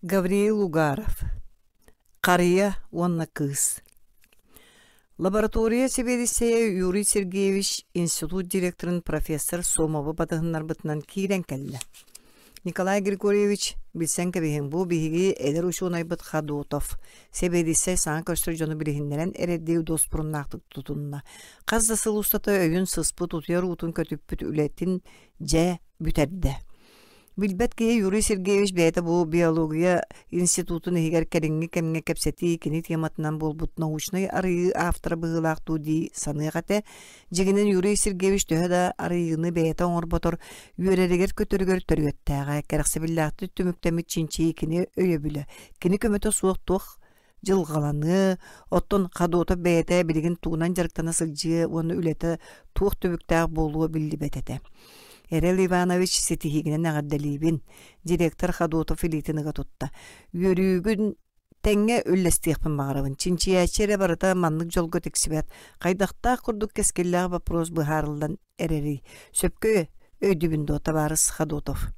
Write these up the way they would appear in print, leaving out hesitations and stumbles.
Гавриил Угаров Харыйа уонна кыыс Лаборатория сэбиэдиссэйэ Юрий Сергеевич институт директорын профессор Сомовы батыһыннарбытынан киирэн кэллэ. Николай Григорьевич, билсэн кэбиһиҥ, бу биһиги эдэр учуонайбыт Ходотов, сэбиэдиссэй саҥа көрсөр дьону билиһиннэрэн эрэрдии дуоспуруннаахтык тутунна. Хас да сыл устата өйүн сыспыт, утуйар уутун көтүппүт үлэтин дьэ бүтэрдэ. Билбэт киһи Юрий Сергеевич бэйэтэ бу биология институтун иһигэр кэлиҥҥи кэмҥэ кэпсэтии кини тематынан буолбут научнай арыйыы автора быһыылаах дуу дии саныах этэ. Дьиҥинэн Юрий Сергеевич төһө да арыйыыны бэйэтэ оҥорботор, үөрэригэр-көтөрүгэр төрүөттээҕэ, кэрэхсэбиллээхтик түмүктэммит чинчийии кини өйөбүлэ, кини көмөтө суох туох дьылҕаланыа, оттон Ходотов бэйэтэ билигин тугунан дьарыктана сылдьыа уонна үлэтэ туох түбүктээх буолуо биллибэт этэ. Эрэл Иванович ситиһиигинэн эҕэрдэлиибин, директор Ходотов илиитин ыга тутта. Үөрүүгүн тэҥҥэ үллэстиэхпин баҕарабын. Чинчийээччи эрэ барыта маннык дьолго тиксибэт. Хайдахтаах курдук кэскиллээх боппуруос быһаарыллан эрэрий? Сөпкө өйдүүбүн дуо, табаарыс Ходотов?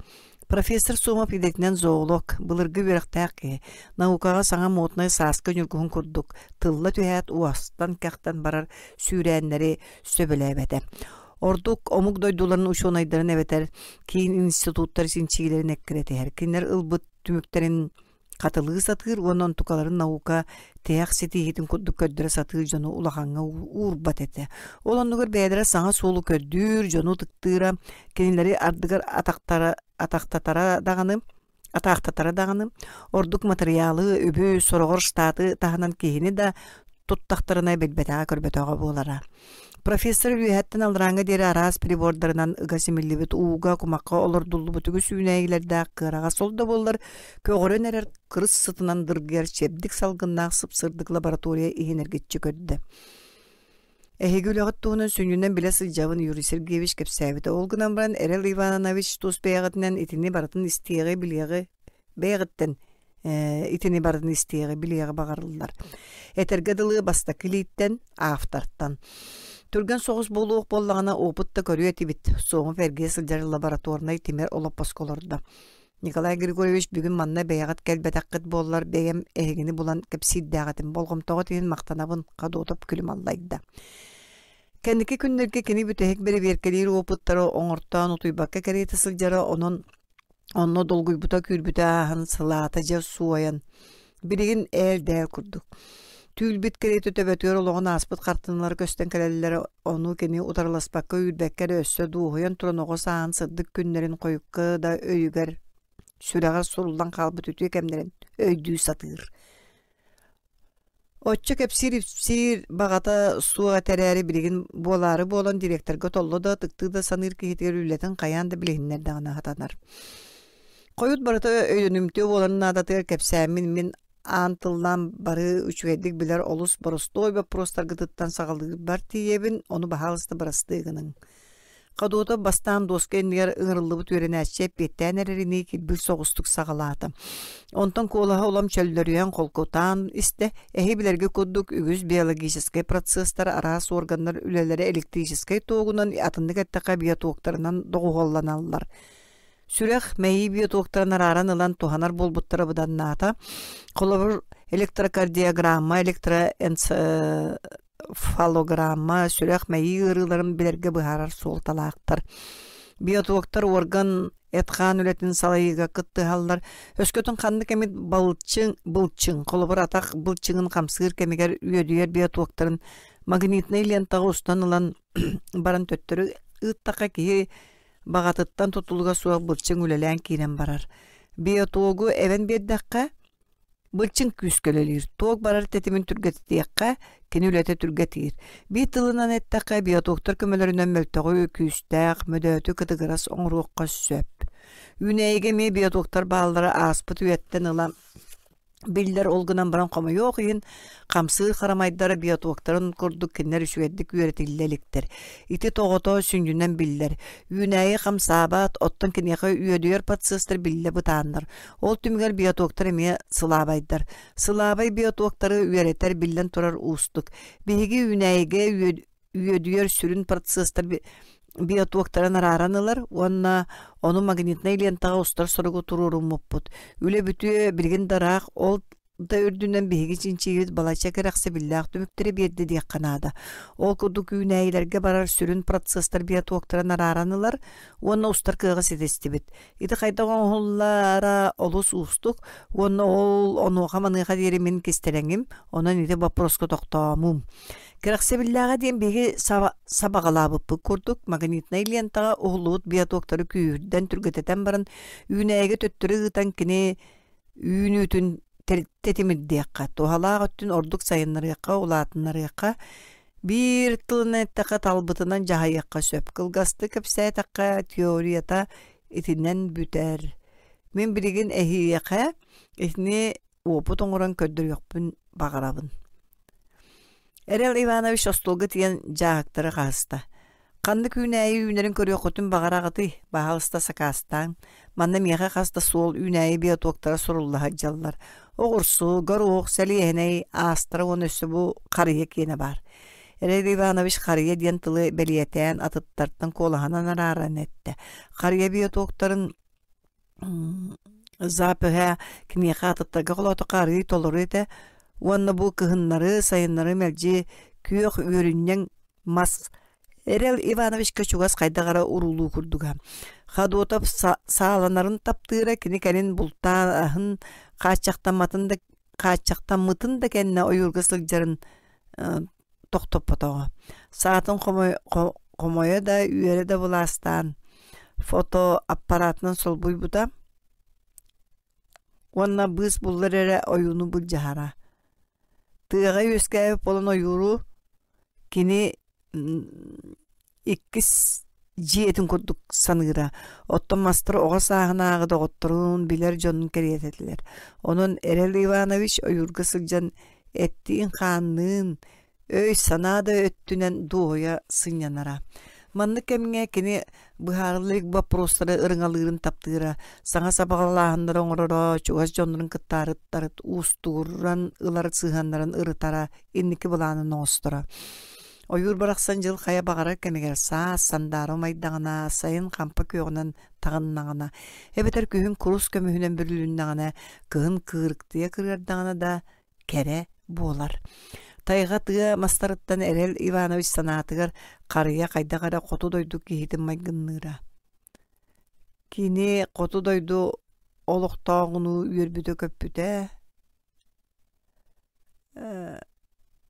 Профессор Сомов идэтинэн зоолог, былыргы үөрэхтээх киһи, наукаҕа саҥа моднай сааскы ньургуһун курдук тылла түһээт уостан-кэхтэн барар сүүрээннэри сөбүлээбэтэ. Ордук омук дойдуларын учуонайдарын эбэтэр киин институттар чинчийиилэрин эккирэтиһэр. Кинилэр ылбыт түмүктэрин хатылыы сатыыр уонна онтукаларын наука тиһэх ситиһиитин курдук көрдөрө сатыыр дьону улахаҥҥа уурбат этэ. Ол оннугар бэйэлэрэ саҥа суолу көрдүүр, дьону ытыктыыра, кинилэри ардыгар атахтара, атахтатара даҕаны, атаахтатара даҕаны, ордук матырыйаалы, үбү, сороҕор штаты таһынан киһини да туттахтарына билбэтэҕэ-көрбөтөҕө буолара. Профессор үөһэттэн алларааҥҥа диэри араас прибордарынан ыга симиллибит ууга, кумахха олордуллубут үгүс үүнээйилэрдээх кыараҕас ол да буоллар көҕөрөн эрэр кырыс сытынан дыргыйар чэбдик салгыннаах сып-сырдык лаборатория иһин эргиччи көрдө. Эһиги үлэҕит туһунан сүнньүнэн билэ сылдьабын Юрий Сергеевич кэпсээбитэ. Ол гынан баран Эрэл Иванович тус бэйэҕитинэн итини барытын истиэҕи, билиэҕи бэйэҕиттэн итини барытын истиэҕи, билиэҕи баҕарыллар. Этэргэ дылы бастакы илииттэн, автортан. Түргэн соҕус буолуох буоллаҕына опыт да көрүө этибит. Сомов эргийэ сылдьар лабораторнай тимир олоппоско олордо. Николай Григорьевич бүгүн манна бэйэҕит кэлбэтэххит буоллар бэйэм эһигини булан кэпсиирдээх этим. Болҕомтоҕут иһин махтанабын, Ходотов күлүм аллайда. Кэнники күннэргэ кини бүтэһик бэрэбиэркэлиир опыттары оҥортоон утуйбакка кэриэтэ сылдьара, онон Онно долгуйбута күүрбүтэ ааһан сылаата дьэ суойан, билигин ээл-дээл курдук. Түүл-бит кэриэтэ төбөтүгэр олоҕун ааспыт хартыыналара көстөн кэлэллэрэ, ону кини утарыласпакка үүрбэккэ эрэ өссө дуоһуйан туран оҕо сааһын сырдык күннэрин хойукка да өйүгэр, сүрэҕэр суруллан хаалбыт үтүө кэмнэрин өйдүү сатыыр. Оччо кэпсиир-ипсиир баҕата суох этэ эрээри билигин буолаары буолан директорга толло да, ытыктыы да саныыр киһитигэр үлэтин хайаан да билиһиннэрдэҕинэ сатанар. Хойут барыта өйдөнүмтүө буоларын наадатыгар кэпсээммин мин аан тыллаан бары үчүгэйдик билэр олус боростуой боппуруостаргытыттан саҕалыырбар тиийэбин, ону баһаалыста бырастыы гыныҥ. Ходотов бастаан дуоска иннигэр ыҥырыллыбыт үөрэнээччи эппиэттээн эрэринии килбик соҕустук саҕалаата. Онтон куолаһа улам чөллөрүйэн холкутаан истэ, эһи билэргэ курдук үгүс биологическай процесстар араас органнар үлэлэрэ электрическэй туогунан атыннык эттэххэ биотоктарынан доҕуһуолланаллар. Сүрэх, мэйии биотоктарын арааран ылан туһанар буолбуттара быданнаата. Холобур, электрокардиограмма, электроэнцефалограмма фалограмма, сүрэх-мэйии ыарыыларын билэргэ быһаарар суолталаахтар. Биотоктар орган эт-хаан үлэтин салайыыга кыттыһаллар. Өскөтүн ханнык эмит балчыҥ, былчыҥ, холобур атах былчыҥын хамсыыр кэмигэр үөдүйэр биотоктарын магнитнай лентаҕа устан ылан баран төттөрү ыыттахха киһи баҕатыттан тутулуга суох былчыҥ үлэлээн киирэн барар. Биотогу эбэн биэрдэххэ, Былчыҥ күүскэ үлэлиир, туох барар тэтимин түргэтитиэххэ, кини үлэтэ түргэтиир. Биир тылынан эттэххэ, биотоктар көмөлөрүнэн мөлтөҕү, күүстээх, мөдөөтү кытыгырас оҥоруохха сөп. Үүнээйигэ эмиэ биотоктар бааллара ааспыт үйэттэн ыла биллэр, ол гынан баран хомойуох иһин, хамсыыр харамайдара биотоктарын курдук кинилэр үчүгэйдик үөрэтиллэ иликтэр. Ити тоҕото сүнньүнэн биллэр. Үүнээйи хамсаабат, оттон киниэхэ үөдүйэр процесстар биллэ бытааннар. Ол түмүгэр биотоктар эмиэ сылаабайдар. Сылаабай биотоктары үөрэтэр биллэн турар уустук. Биһиги үүнээйигэ үөдүйэр сүрүн процесстар биотуоктарын арааран ылар уонна ону магнитнай лентаҕа устар соругу туруоруммуппут. Үлэ бүтүө билигин да ыраах, ол да үрдүнэн биһиги чинчийбит балачча кэрэхсэбиллээх түмүктэри биэрдэ диэххэ наада. Ол курдук үүнээйилэргэ барар сүрүн процесстар биотуоктарын арааран ылар уонна устар кыаҕы ситистибит. Ити хайдах оҥоһуллара олус уустук уонна ол онуоха-маныаха диэри мин кистэлэҥим, онон ити боппуруоска тохтоомуум. Кэрэхсэбиллээҕэ диэн биһиги сабаҕалаабыппыт курдук магнитнай лентаҕа уһуллубут биотоктары күүһүрдэн түргэтэтэн баран үүнээйигэ төттөрү ыытан кини үүнүүтүн тэтимирдиэххэ, туһалаах өттүн ордук сайыннарыахха, улаатыннарыахха, биир тылынан эттэххэ талбытынан дьаһайыахха сөп. Кылгастык кэпсээтэххэ, теорията итинэн бүтэр. Мин билигин эһиэхэ итини уопут оҥорон көрдөрүөхпүн баҕарабын. Эрэл Иванович остуолга тиийэн дьааһыктары хаһыста. Ханнык үүнээйи үүнэрин көрүөххүтүн баҕараҕытый? Баһаалыста сакаастааҥ. Манна миэхэ хас да суол үүнээйи биотоктара сурулла сылдьаллар. Оҕурсу, горуох, сэлиэһинэй, аастара уонна өссө бу харыйа киэнэ баар. Эрэл Иванович харыйа диэн тылы бэлиэтээн атыттартан куолаһынан арааран эттэ. Харыйа биотоктарын запыһа киниэхэ атыттарга холоотоххо арыый толору этэ уонна бу кыһыннары, сайыннары мэлдьи күөх үөрүнньэҥ мас Эрэл Ивановичка чугас хайдах эрэ уруулуу курдуга. Ходотов сааланарын таптыыра кини кэлин бултааһын хааччахтамматын да хааччахтаммытын да кэннэ ойуурга сылдьарын тохтоппотоҕо. Саатын хомойо да, үөрэ да былаастаан фотоаппаратынан солбуйбута уонна быыс буллар эрэ ойууну былдьаһара. Тыаҕа үөскээбит буолан ойууру кини иккис дьиэтин курдук саныыра. Оттон мастар оҕо сааһынааҕы доҕотторун, билэр дьонун кэриэтэ этилэр. Онон Эрэл Иванович ойуурга сылдьан эттиин-хаанныын, өй-санаа да өттүнэн дуоһуйа сынньанара. Маннык кэмҥэ кини быһаарылла илик боппуруостары ырыҥалыырын таптыыра, саҥа сабаҕалааһыннары оҥороро, чугас дьоннорун кытта арыттарыт уустугуран ылар сыһыаннарын ырытара, инники былаанын оҥосторо. Ойуур барахсан дьыл хайа баҕарар кэмигэр саас сандаара умайдаҕына, сайын хампа күөҕүнэн таҕыннаҕына, эбэтэр күһүн курус көмүһүнэн бүрүлүннэҕинэ, кыһын кыырыктыйа кырыардаҕына да кэрэ буолар. Тайҕа тыа мастарыттан Эрэл Иванович санаатыгар харыйа хайдах эрэ хоту дойду киһитин майгынныыра. Кини хоту дойду олохтооҕунуу үөрбүтэ-көппүтэ,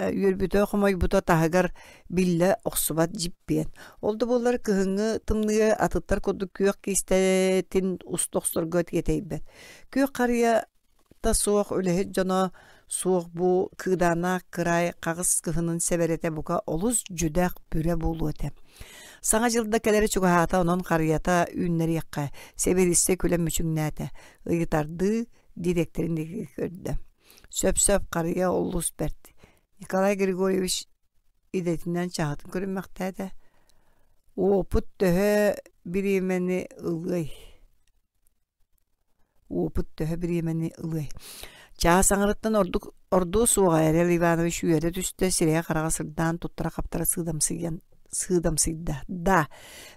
үөрбүтэ-хомойбута таһыгар биллэ охсубат дьиппиэн. Ол да буоллар кыһыҥҥы тымныыга атыттар курдук күөх киистэтин уста охсорго тиэтэйбэт. Күөх харыйа та суох үлэһит дьоно суох бу кыыдааннаах кыраай хаҕыс кыһынын сэбэрэтэ бука олус дьүдэх бүрэ буолуо этэ. Саҥа дьыл да кэлэрэ чугаһаата онон харыйата үүннэриэххэ, сэбиэдиссэй күлэн мүчүҥнээтэ, ыйытардыы дириэктэрин диэки көрдө. Сөп-сөп харыйа олус бэрт. Николай Григорьевич идэтинэн чаһытын көрүммэхтээтэ. Уопут төһө бириэмэни ылыай? Уопут төһө бириэмэни ылыай? Чаас аҥарыттан ордук ордуо суоҕа Эрэл Иванович үөрэ түстэ, сирэйэ-хараҕа сырдаан туттара-хаптара сыыдамсыйан сыыдамсыйда. Да,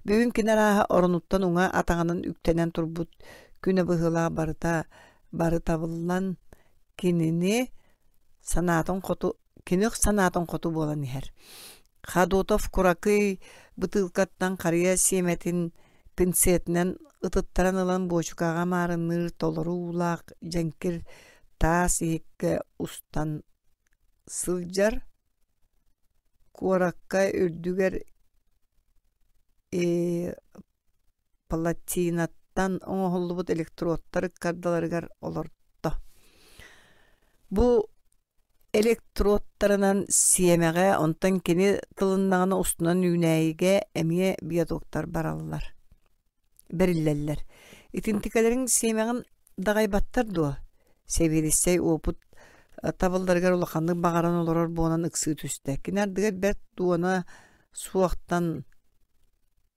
бүгүн кини арааһа оронуттан уҥа атаҕынан үктэнэн турбут күнэ быһыылаах барыта бары табыллан кинини санаатын хоту кини санаатын хоту буолан иһэр. Ходотов куракый бытыылкаттан харыйа сиэмэтин пинцетинэн ытыттаран ылан буочукаҕа маарынныыр толору уулаах дьэҥкир таас иһиккэ устан сылдьар куоракка үрдүгэр платинаттан оҥоһуллубут электродтар ыккардыларыгар олорто. Бу электродтарынан сиэмэҕэ, онтон кини тылыннаҕына устунан үүнээйигэ эмиэ биотоктар бараллар, бэриллэллэр. Итинтикэлэриҥ сиэмэҕин даҕайбаттар дуо? Сэбиэдиссэй уопут табылларыгар улаханнык баҕаран олорор буолан ыксыы түстэ. Кини ардыгар бэрт дуона суохтан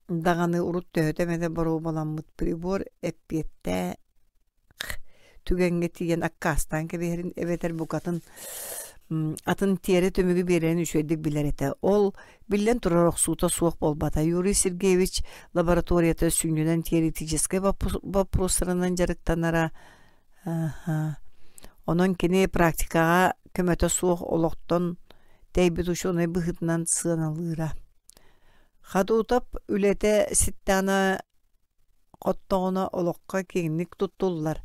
даҕаны урут төһөтө эмэтэ боруобаламмыт прибор эппиэттээх түгэҥҥэ тиийэн аккаастаан кэбиһэрин эбэтэр букатын Атын тиэрэ түмүгү биэрэрин үчүгэйдик билэр этэ. Ол, биллэн турар, охсуута суох буолбата. Юрий Сергеевич лабораторията сүнньүнэн теоретическай боппуруостарынан дьарыктанара. Онон кини практикаҕа көмөтө суох олохтон тэйбит учуонай быһыытынан сыаналыыра. Хадутов үлэтэ ситтэҕинэ хоттоҕуна олоххо киэҥник туттуллар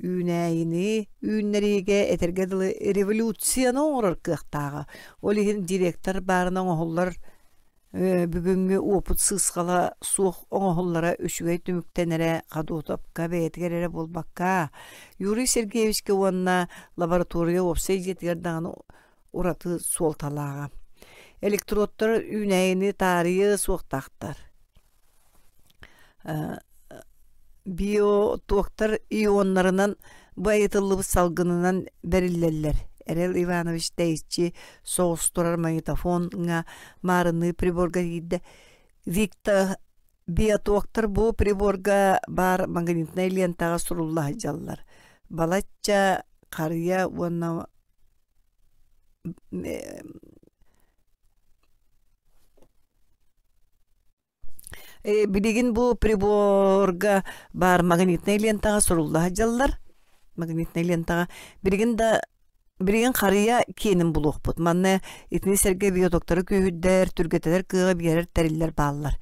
үүнээйини үүннэриигэ этэргэ дылы революцияны оҥорор кыахтааҕа. Ол иһин директор баарына оҥоһуллар бүгүҥҥү уопут сыысхала суох оҥоһуллара үчүгэй түмүктэнэрэ Ходотовка бэйэтигэр эрэ буолбакка, Юрий Сергеевичкэ уонна лаборатория уопсай дьиэтигэр даҕаны ураты суолталааҕа. Электродтар үүнээйини таарыйыа суохтаахтар. Биотоктар ионнарынан байытыллыбыт салгынынан бэриллэллэр. Эрэл Иванович тэйиччи соҕус турар магнитофоҥҥа маарынныы приборга киирдэ. Виктор биотоктар бу приборга баар магнитнай лентаҕа сурулла сылдьаллар. Балачча харыйа уонна Билигин бу приборга баар магнитнай лентаҕа сурулла сылдьаллар. Магнитнай лентаҕа. Билигин да билигин харыйа киэнин булуохпут. Манна итини сэргэ биотоктары күүһүрдэр, түргэтэтэр кыаҕы биэрэр тэриллэр бааллар.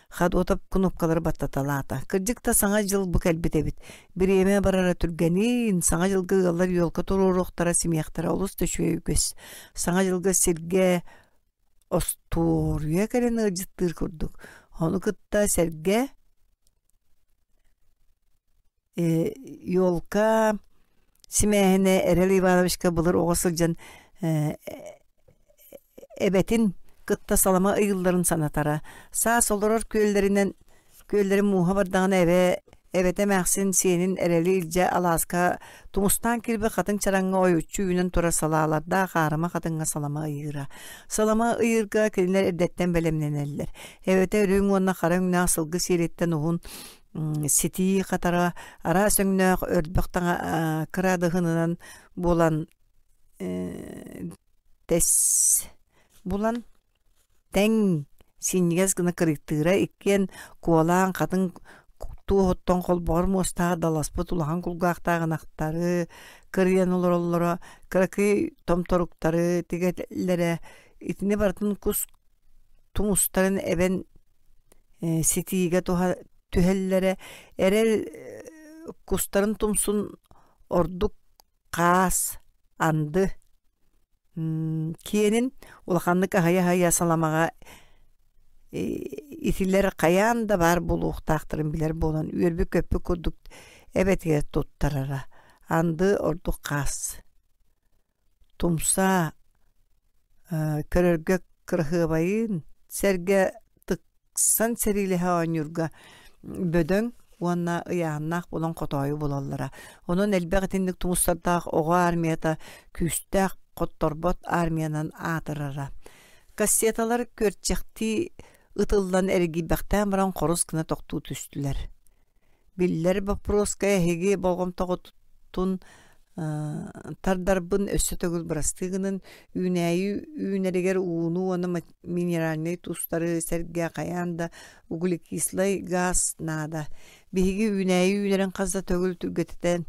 Ходотов кнопкалары баттаталаата. Кырдьык да Саҥа дьыл бу кэлбит эбит. Бириэмэ барара түргэниин, Саҥа дьылга ыаллар елка туруоруохтара, симиэхтэрэ олус да үчүгэй үгэс. Саҥа дьылга сиргэ остуоруйа кэлэн ыалдьыттыыр курдук. Ону кытта сэргэ елка симээһинэ Эрэл Ивановичка былыр оҕо сылдьан эбэтин кытта салама ыйылларын санатара. Саас олорор күөллэринэн Күөллэрин мууһа бардаҕына эбэ эбэтэ эмээхсин сиэнин эрэли илдьэ алааска тумустаан киирбит хатыҥ чараҥҥа ойуччу үүнэн турар салаалардаах аарыма хатыҥҥа салама ыйыыра. Салама ыйыырга кинилэр эрдэттэн бэлэмнэнэллэр. Эбэтэ үрүҥ уонна хара өҥнөөх сылгы сиэлиттэн уһун ситии хатара араас өҥнөөх өрбөх таҥа кыраадыһынынан буолан тэс булан Тэҥ, синньигэс гына кырыктыыра иккиэн куолаан хатыҥ туоһуттан холбоҕор муостаах даласпыт улахан кулгаахтаах ынахтары кырыйан олороллоро, кыракый томторуктары тигэллэрэ, итини барытын кус тумустарын эбэн ситиигэ түһэллэрэ, эрэл кустарын тумсун ордук хаас, анды киэнин улаханнык аһыйа-аһыйа саламаҕа итилэр хайаан да баар буолуохтаахтарын билэр буолан үөрбүт-көппүт курдук эбэтигэр туттарара. Анды ордук хаас. Тумса көрөргө кыраһыабайын сэргэ ыксан сэриилэһэ оонньуурга бөдөҥ уонна ыйааһыннаах буолан хотоойу булаллара. Онон элбэх итинник тумустардаах оҕо армията күүстээх хотторбот армиянан аатырара. Кассеталар күөрчэхтии ытыллан эргийбэхтээн баран хорус гына тохтуу түстүлэр. Биллэр боппуруоска эһиги болҕомтоҕутун тардарбын өссө төгүл бырастыы гынан үүнээйи үүнэригэр ууну уонна минеральнай туустары сэргэ хайаан да углекислай газ наада. Биһиги үүнээйи үүнэрин хас да төгүл түргэтитэн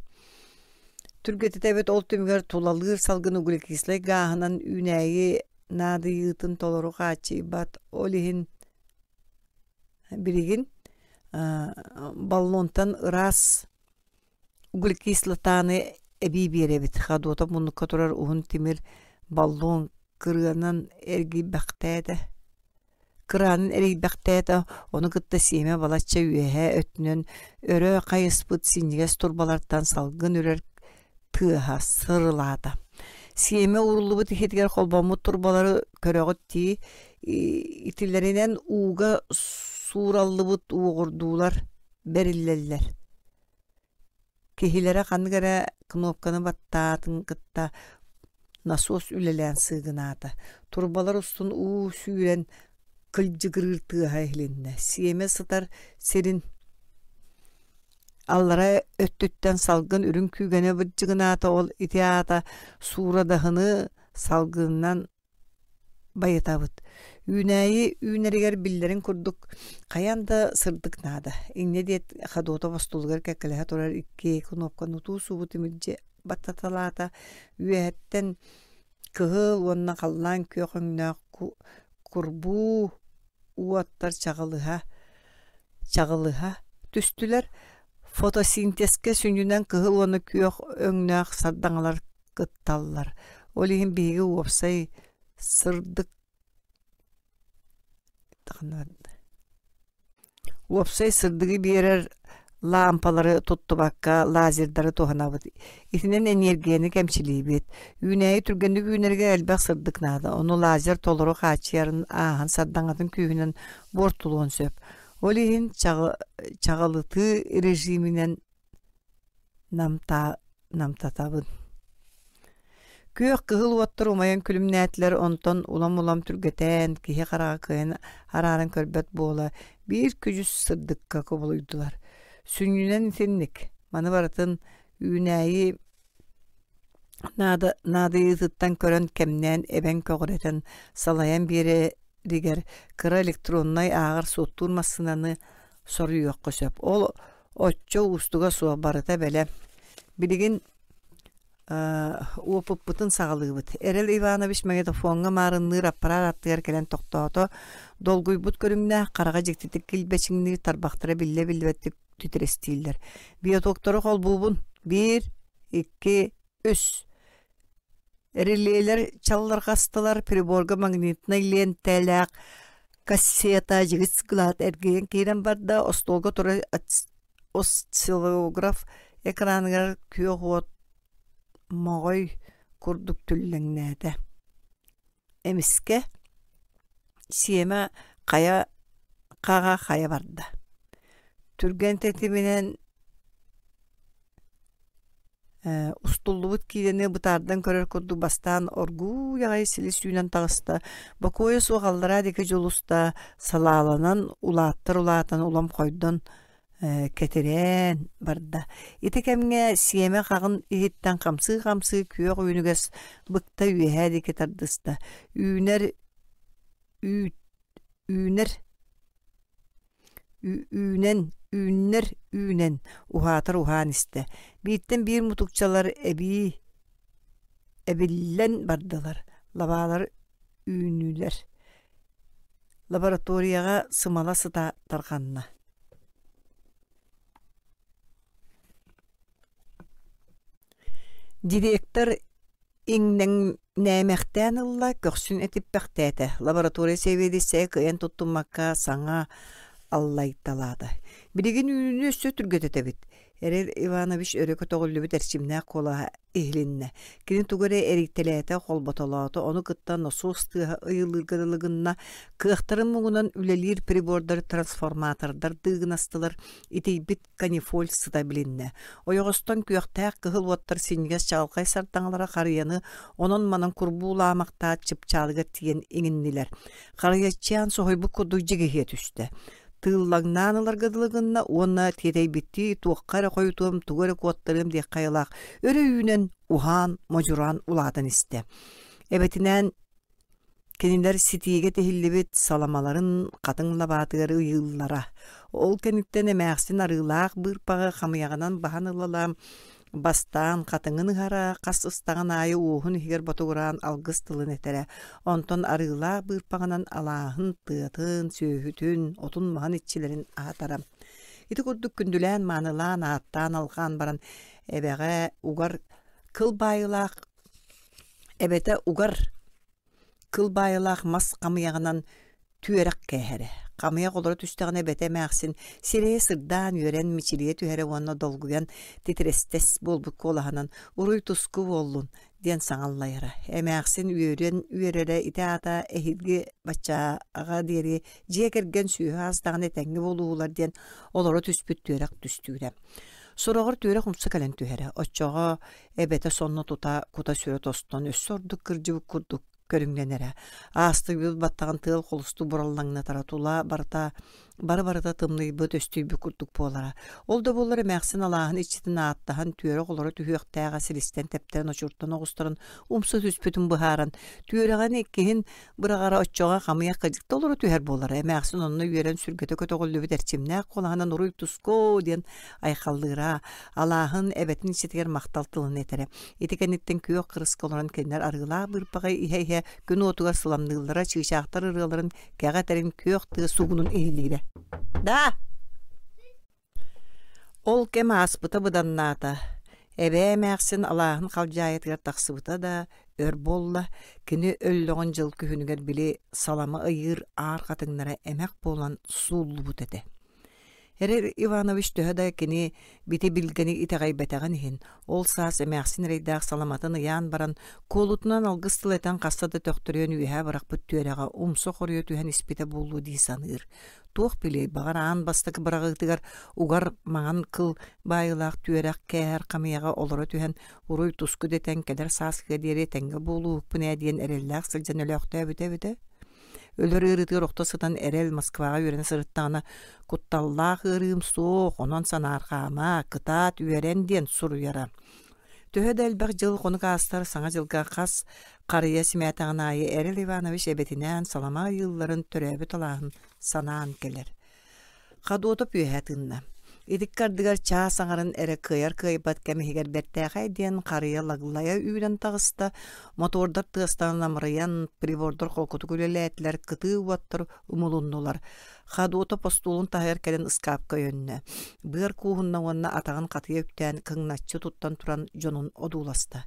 түргэтитэбит ол түмүгэр тулалыыр салгын углекислай гааһынан үүнээйи наадыйыытын толору хааччыйбат. Ол иһин Билигин баллонтан ыраас углекислотаны эбии биэрэбит. Ходуота муннукка турар уһун тимир баллон кырыанан эргийбэхтээтэ. Кыраанын эрийбэхтээтэ, ону кытта сиэмэ балачча үөһээ өттүнэн өрө хайыспыт синньигэс турбалартан салгын үрэр тыаһа сырылаата. Сиэмэ ууруллубут иһитигэр холбоммут турбалары көрөҕүт дии, итилэринэн ууга суураллыбыт уоҕурдуулар бэриллэллэр. Киһилэрэ ханнык эрэ кнопканы баттаатын кытта насос үлэлээн сыыгынаата. Турбалар устун уу сүүрэн кылдьыгырыыр тыаһа иһилиннэ. Сиэмэ сытар сирин Аллара өттүттэн салгын үрүҥ күүгэнэ бырдьыгынаата, ол ити аата суурадаһыны салгынынан байытабыт. Үүнээйи үүнэригэр биллэрин курдук хайаан да сырдык наада. Инньэ диэт Ходотов остуолугар кэккэлэһэ турар икки кнопканы утуу-субу тимирдьи баттаталаата. Үөһэттэн кыһыл уонна халлаан күөх өҥнөөх курбуу уоттар чаҕылыһа чаҕылыһа түстүлэр. Фотосинтезкэ сүнньүнэн кыһыл уонна күөх өҥнөөх сардаҥалар кытталлар. Ол иһин биһиги уопсай сырдык Уопсай сырдыгы биэрэр лаампалары туттубакка лазердары туһанабыт. Итинэн эниэргийэни кэмчилиибит. Үүнээйи түргэнник үүнэригэр элбэх сырдык наада. Ону лазер толору хааччыйарын ааһан сардаҥатын күүһүнэн буортулуон сөп. Ол иһин чаҕылытыы режиминэн намтатабын. Күөх кыһыл уоттар умайан күлүмнээтилэр, онтон улам-улам түргэтээн, киһи хараҕа кыайан арааран көрбөт буола биир күдьүс сырдыкка кубулуйдулар. Сүнньүнэн итинник, маны барытын үүнээйи наадыйыытыттан көрөн кэмнээн эбэн көҕүрэтэн салайан биэрэригэр кыра электроннай ааҕар-суоттуур массыынаны соруйуохха сөп. Ол оччо уустуга суох барыта бэлэм. Билигин уопуппутун саҕалыыбыт. Эрэл Иванович магнитофоҥҥа маарынныыр аппараат аттыгар кэлэн тохтоото. Долгуйбут көрүҥнээх, хараҕа дьиктитик килбэчиҥниир тарбахтара биллэ-биллибэттик титирэстииллэр. Биотоктору холбуубун. Биир, икки, үс. Релелэр чаллырҕастылар, приборга магнитнай лиэнтэлээх кассета дьигис гылаат эргийэн киирэн барда, остуолга турар осциллограф экраныгар күөх уот моҕой курдук түллэҥнээтэ. Эмискэ сиэмэ хайа хаҕа хайа барда. Түргэн тэтиминэн устуллубут киинэни бытаардан көрөр курдук бастаан оргууй аҕай силис үүнэн таҕыста, бокуойа суох аллараа диэки дьулуста, салааланан улааттар улаатан улам хойдон кэтирээн барда. Ити кэмҥэ сиэмэ хаҕын иһиттэн хамсыы-хамсыы күөх үүнүгэс быкта үөһээ диэки тардыста. Үүнэр үүт үүнэр үүнэн үүннэр үүнэн уһаатар уһаан истэ. Бииртэн биир мутукчалар эбии эбиллэн бардылар, лабаалар үүннүлэр. Лабораторияҕа сымала сыта тарҕанна. Директор иҥнэҥнээмэхтээн ылла, көхсүн этиппэхтээтэ. Лаборатория сэбиэдиссэйэ кыайан туттуммакка саҥа аллайталаата. Билигин үүнүүнү өссө түргэтэтэбит. Эрэл Иванович өрө көтөҕүллүбүт эрчимнээх куолаһа иһилиннэ. Кини тугу эрэ эрийтэлээтэ, холботолоото, ону кытта носуос тыаһа ыйылыырга дылы гынна, кыахтарын муҥунан үлэлиир прибордар трансформатордар дыыгынастылар, итийбит канифоль сыта билиннэ. Ойоҕостон күөхтээх кыһыл уоттар синньигэс чаҕылхай сардаҥалара харыйаны онон-манан курбуулаамахтаат чыпчаалыгар тиийэн иҥиннилэр. Харыйаччаан соһуйбут курдук дьигиһийэ түстэ. Тыыллаҥнаан ыларга дылы гынна уонна тиэтэйбиттии туохха эрэ хойутуом, тугу эрэ куоттарыам диэххэ айылаах өрө үүнэн, уһаан, модьураан улаатан истэ. Эбэтинээн Кинилэр ситиигэ тиһиллибит саламаларын хатыҥ лабаатыгар ыйыыллара. Ол кэнниттэн эмээхсин арыылаах быырпаҕы хамыйаҕынан баһан ылалаан, бастаан хатыҥын ыһара, хас ыстаҕын аайы уоһун иһигэр ботугураан алгыс тылын этэрэ. Онтон арыылаах быырпаҕынан алааһын, тыатын, сүөһүтүн, отун-маһын иччилэрин аһатара. Ити курдук күндүлээн-маанылаан, ааттаан алҕаан баран эбэҕэ угар кыл баайыылаах Эбэтэ угар кыл баайылаах мас хамыйаҕынан түөрэх кээһэрэ. Хамыйах олоро түстэҕинэ эбэтэ эмээхсин сирэйэ сырдаан үөрэн мичилийэ түһэрэ уонна долгуйан титирэстэс буолбут куолаһынан «Уруй-туску буоллун» диэн саҥа аллайара. Эмээхсин үөрэн үөрэрэ ити аата эһиги баччааҕа диэри дьиэ кэргэн сүөһү аас даҕаны этэҥҥэ буолууһулар диэн олоро түспүт түөрэх түстүүрэ. Сороҕор түөрэх умса кэлэн түһэрэ. Оччоҕо Эбэтэ сонно тута кута-сүрэ тостон өссө ордук кырдьыбыт курдук көрүҥнэнэрэ. Аастыйбыт баттаҕын тыал холустук бураллаҥнатара тула барыта Бары-барыта тымныйбыт, өстүйбүт курдук буолара. Ол да буоллар эмээхсин алааһын иччитин ааттаһан түөрэх олоро түһүөхтээҕэ силистэн тэптэрэн очуртан оҕустаран умса түспүтүн быһааран, түөрэҕин иккиһин быраҕара оччоҕо хамыйах кыдьыкта олоро түһэр буолара. Эмээхсин онно үөрэн сүргэтэ көтөҕүллүбүт эрчимнээх куолаһынан уруй-туску диэн айхаллыыра, алааһын эбэтин иччитигэр махтал тылын этэрэ. Ити кэнниттэн күөх кырыска олорон кинилэр арыылаах быырпаҕы иһэ-иһэ күн уотугар сыламныыллара, чыычаахтар ырыаларын кэҕэ этэрин күөх тыа сугунун иһиллиирэ. Да! Ол кэм ааспыта быданнаата. Эбээ эмээхсин алааһын халдьаайытыгар тахсыбыта да, өр буолла, кини өллөҕүн дьыл күһүнүгэр били салама ыйыыр аар хатыҥнара эмэх буолан сууллубут этэ. Эрэл Иванович төһө да кини бити билгэни итэҕэйбэтэҕин иһин, ол саас эмээхсин эрэйдээх саламатын ыйаан баран, куолутунан алгыс тыл этэн хаста да төхтөрүйэн үөһэ бырахпыт түөрэҕэ умса хоруйа түһэн испитэ буолуо дии саныыр. Туох билиэй, баҕар аан бастакы быраҕыытыгар угар маҥан кыл баайыылаах түөрэх кээһэр хамыйаҕа олоро түһэн уруй-туску дэтэн кэлэр сааскыга диэри этэҥҥэ буолууһукпун ээ диэн эрэллээх сылдьан өлөөхтөөбүтэ эбитэ. Өлөр ыарыытыгар охто сытан эрэл Москваҕа үөрэнэ сырыттаҕына «Кутталлаах ыарыым суох, онон санаарҕаама, кытаат, үөрэн» диэн суруйара. Төһө да элбэх дьыл хонук аастар Саҥа дьылга хас харыйа симээтэҕин аайы Эрэл Иванович эбэтинээн салама ыйыылларын төрөөбүт алааһын санаан кэлэр. Ходотов үөһэ тыынна. Итиккэ ардыгар чаас аҥарын эрэ кыайар-кыайбат кэм иһигэр бэртээхэй диэн харыйа лаглайа үүнэн таҕыста, мотордар тыастара намырыйан, прибордар холкутук үлэлээтилэр, кытыы уоттар умулуннулар. Ходотов остуолун таһыгар кэлэн ыскаапка өйөннө. Быар кууһунна уонна атаҕын хатыйа үктээн кыҥначчы туттан туран дьонун одууласта.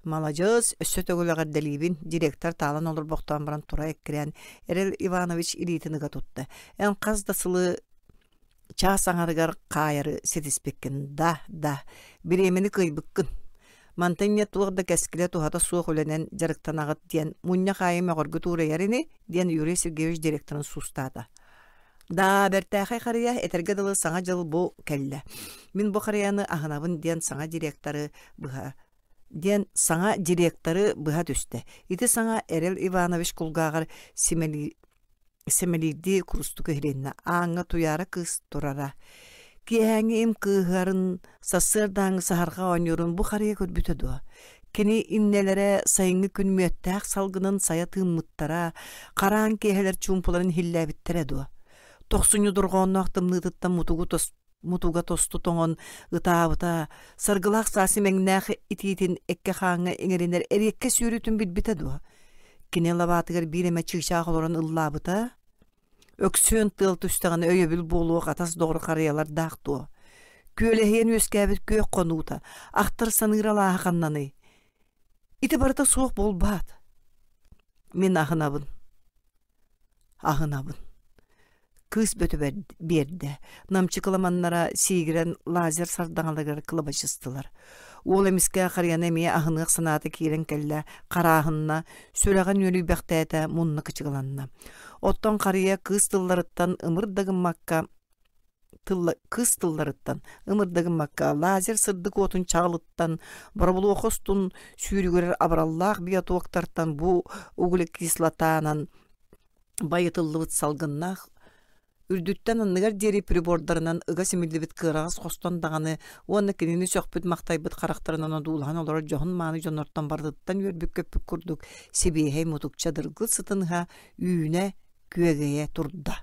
Маладьыас, өссө төгүл эҕэрдэлиибин, директор таалан олорбохтоон баран тура эккирээн, Эрэл Иванович илиитин ыга тутта. Эн хас да сылы чаас аҥарыгар хаайары ситиспиккин. Да, да, бириэмэни кыайбыккын. Мантан инньэ туох да кэскилэ туһата суох үлэнэн дьарыктанаҕыт диэн мунньах аайы мөҕөргүт уурайар ини, диэн Юрий Сергеевич директорын суустаата. Да, бэртээхэй харыйа, этэргэ дылы саҥа дьыл бу кэллэ. Мин бу харыйаны аһынабын диэн саҥа директоры быһа диэн саҥа директоры быһа түстэ. Ити саҥа Эрэл Иванович кулгааҕар сэмэлиирдии курустук иһилиннэ. Ааҥҥа Туйаара кыыс турара. Киэһээҥҥи им кыыһарын, сарсыардааҥҥы саһарҕа оонньуурун бу харыйа көрбүтэ дуо? Кини иннэлэрэ сайыҥҥы күн мүөттээх салгынын сайа тыыммыттара, хараан киэһэлэр чуумпуларын иһиллээбиттэрэ дуо? Тохсунньу дорҕоонноох тымныытыттан мутугу мутуга тосту тоҥон ытаабыта, саргылаах саас имэҥнээх итиитин эккэ-хааҥҥа иҥэринэр эриэккэс үөрүүтүн билбитэ дуо? Кини лабаатыгар биир эмэ чыычаах олорон ыллаабыта, өксүөн тыал түстэҕинэ өйөбүл буолуох атас доҕор харыйалардаах дуо? Күөлэһийэн үөскээбит күөх хонуута, ахтар саныыр алааһа ханнаный? Ити барыта суох буолбаат. Мин аһынабын. Аһынабын. Кыыс бөтө биэрдэ. Намчы кыламаннара сиигирэн лазер сардаҥаларыгар кылабачыстылар. Уол эмискэ харыйаны эмиэ аһыныах санаата киирэн кэллэ, харааһынна, сүрэҕин үөрүйбэхтээтэ, мунна кычыгыланна. Оттон харыйа кыыс тылларыттан ымыр да гыммакка кыыс тылларыттан ымыр да гыммакка лазер сырдык уотун чаҕылыттан боробулуоха устун сүүрүгүрэр абыраллаах биотоктартан бу углекислотанан байытыллыбыт салгыннаах үрдүттэн анныгар диэри прибордарынан ыга симиллибит кыараҕас хостон даҕаны уонна кинини сөхпүт-махтайбыт харахтарынан одуулаһан олорор дьоһун-мааны дьоннортон барытыттан үөрбүт-көппүт курдук сибиэһэй мутукча дыргыл сытын ыһа үүнэ күөгэйэ турда.